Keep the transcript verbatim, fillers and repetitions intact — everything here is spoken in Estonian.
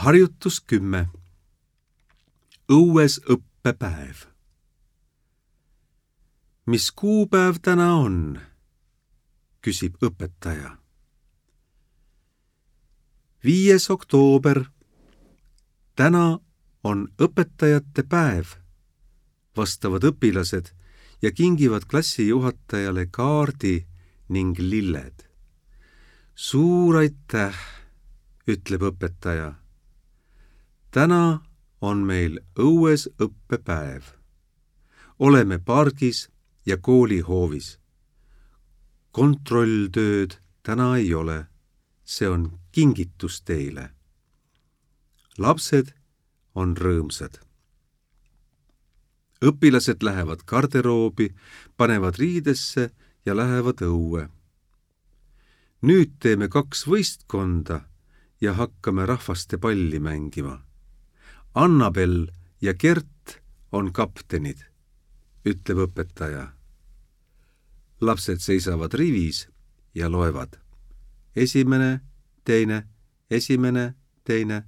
Harjutus kümme. Õues õppepäev. Mis kuupäev täna on? Küsib õpetaja. Viies oktoober. Täna on õpetajate päev, vastavad õpilased ja kingivad klassijuhatajale kaardi ning lilled. Suur aitäh, ütleb õpetaja. Täna on meil õues õppepäev. Oleme pargis ja koolihoovis. Kontrolltööd täna ei ole. See on kingitus teile. Lapsed on rõõmsad. Õpilased lähevad garderoobi, panevad riidesse ja lähevad õue. Nüüd teeme kaks võistkonda ja hakkame rahvaste palli mängima. Annabel ja Gert on kaptenid, ütleb õpetaja. Lapsed seisavad rivis ja loevad. Esimene, teine, esimene, teine.